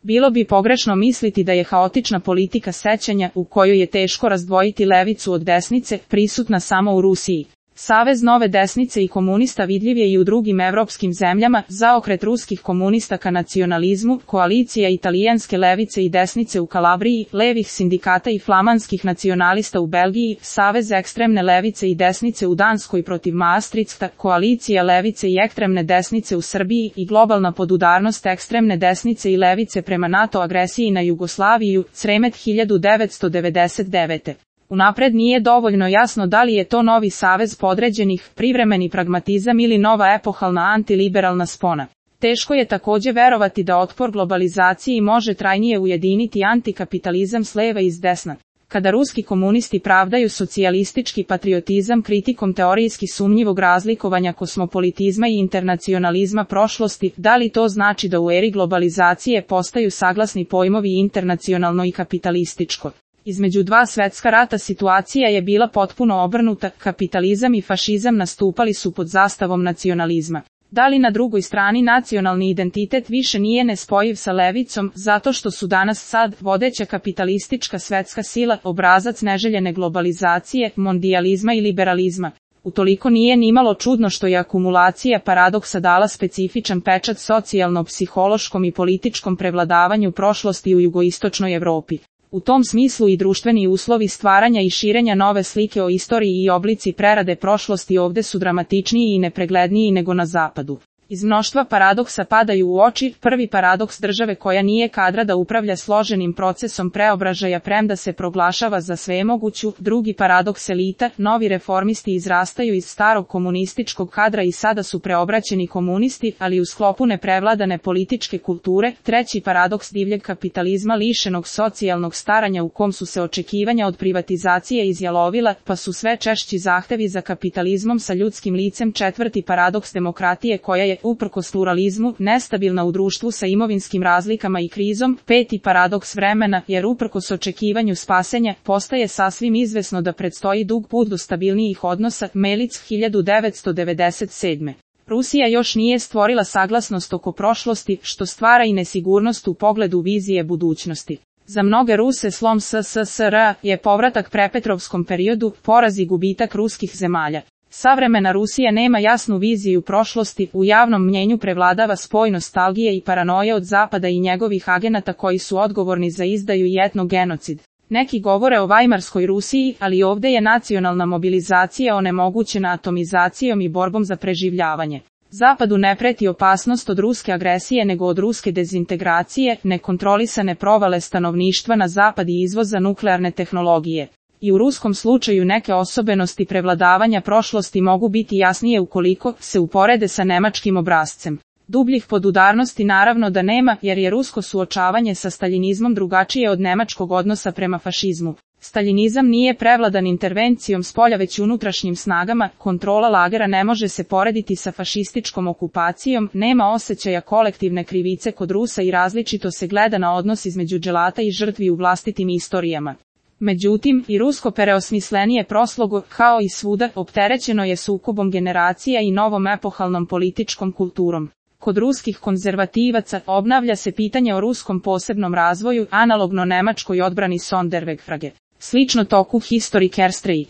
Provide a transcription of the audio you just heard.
Bilo bi pogrešno misliti da je haotična politika sećanja, u kojoj je teško razdvojiti levicu od desnice, prisutna samo u Rusiji. Savez nove desnice i komunista vidljiv je i u drugim evropskim zemljama, zaokret ruskih komunista ka nacionalizmu, koalicija italijanske levice i desnice u Kalabriji, levih sindikata i flamanskih nacionalista u Belgiji, savez ekstremne levice i desnice u Danskoj protiv Maastrichta, koalicija levice i ekstremne desnice u Srbiji i globalna podudarnost ekstremne desnice i levice prema NATO agresiji na Jugoslaviju, Sremet 1999. Unapred nije dovoljno jasno da li je to novi savez podređenih, privremeni pragmatizam ili nova epohalna antiliberalna spona. Teško je takođe verovati da otpor globalizaciji može trajnije ujediniti antikapitalizam s leva i s desna. Kada ruski komunisti pravdaju socijalistički patriotizam kritikom teorijski sumnjivog razlikovanja kosmopolitizma i internacionalizma prošlosti, da li to znači da u eri globalizacije postaju saglasni pojmovi internacionalno i kapitalističko? Između dva svetska rata situacija je bila potpuno obrnuta, kapitalizam i fašizam nastupali su pod zastavom nacionalizma. Da li na drugoj strani nacionalni identitet više nije nespojiv sa levicom, zato što su danas sad vodeća kapitalistička svetska sila, obrazac neželjene globalizacije, mondijalizma i liberalizma? Utoliko nije nimalo čudno što je akumulacija paradoksa dala specifičan pečat socijalno-psihološkom i političkom prevladavanju prošlosti u jugoistočnoj Evropi. U tom smislu i društveni uslovi stvaranja i širenja nove slike o istoriji i oblici prerade prošlosti ovde su dramatičniji i nepregledniji nego na zapadu. Iz mnoštva paradoksa padaju u oči prvi paradoks države koja nije kadra da upravlja složenim procesom preobražaja premda se proglašava za svemoguću, drugi paradoks elita, novi reformisti izrastaju iz starog komunističkog kadra i sada su preobraćeni komunisti, ali u sklopu neprevladane političke kulture, treći paradoks divljeg kapitalizma lišenog socijalnog staranja u kom su se očekivanja od privatizacije izjalovila, pa su sve češći zahtevi za kapitalizmom sa ljudskim licem, četvrti paradoks demokratije koja je uprkos pluralizmu, nestabilna u društvu sa imovinskim razlikama i krizom, peti paradoks vremena, jer uprkos očekivanju spasenja, postaje sasvim izvesno da predstoji dug put do stabilnijih odnosa, Melic 1997. Rusija još nije stvorila saglasnost oko prošlosti, što stvara i nesigurnost u pogledu vizije budućnosti. Za mnoge Ruse slom SSSR je povratak prepetrovskom periodu, poraz i gubitak ruskih zemalja. Savremena Rusija nema jasnu viziju prošlosti, u javnom mnjenju prevladava spoj nostalgije i paranoje od Zapada i njegovih agenata koji su odgovorni za izdaju i etnogenocid. Neki govore o Vajmarskoj Rusiji, ali ovde je nacionalna mobilizacija onemogućena atomizacijom i borbom za preživljavanje. Zapadu ne preti opasnost od ruske agresije nego od ruske dezintegracije, nekontrolisane provale stanovništva na zapad i izvoza nuklearne tehnologije. I u ruskom slučaju neke osobenosti prevladavanja prošlosti mogu biti jasnije ukoliko se uporede sa nemačkim obrascem. Dubljih podudarnosti naravno da nema, jer je rusko suočavanje sa staljinizmom drugačije od nemačkog odnosa prema fašizmu. Staljinizam nije prevladan intervencijom spolja već unutrašnjim snagama, kontrola lagera ne može se porediti sa fašističkom okupacijom, nema osjećaja kolektivne krivice kod Rusa i različito se gleda na odnos između dželata i žrtvi u vlastitim istorijama. Međutim, i rusko preosmislenije proslogo, kao i svuda, opterećeno je sukobom generacija i novom epohalnom političkom kulturom. Kod ruskih konzervativaca obnavlja se pitanje o ruskom posebnom razvoju, analogno nemačkoj odbrani Sonderwegfrage. Slično toku Historikerstrei.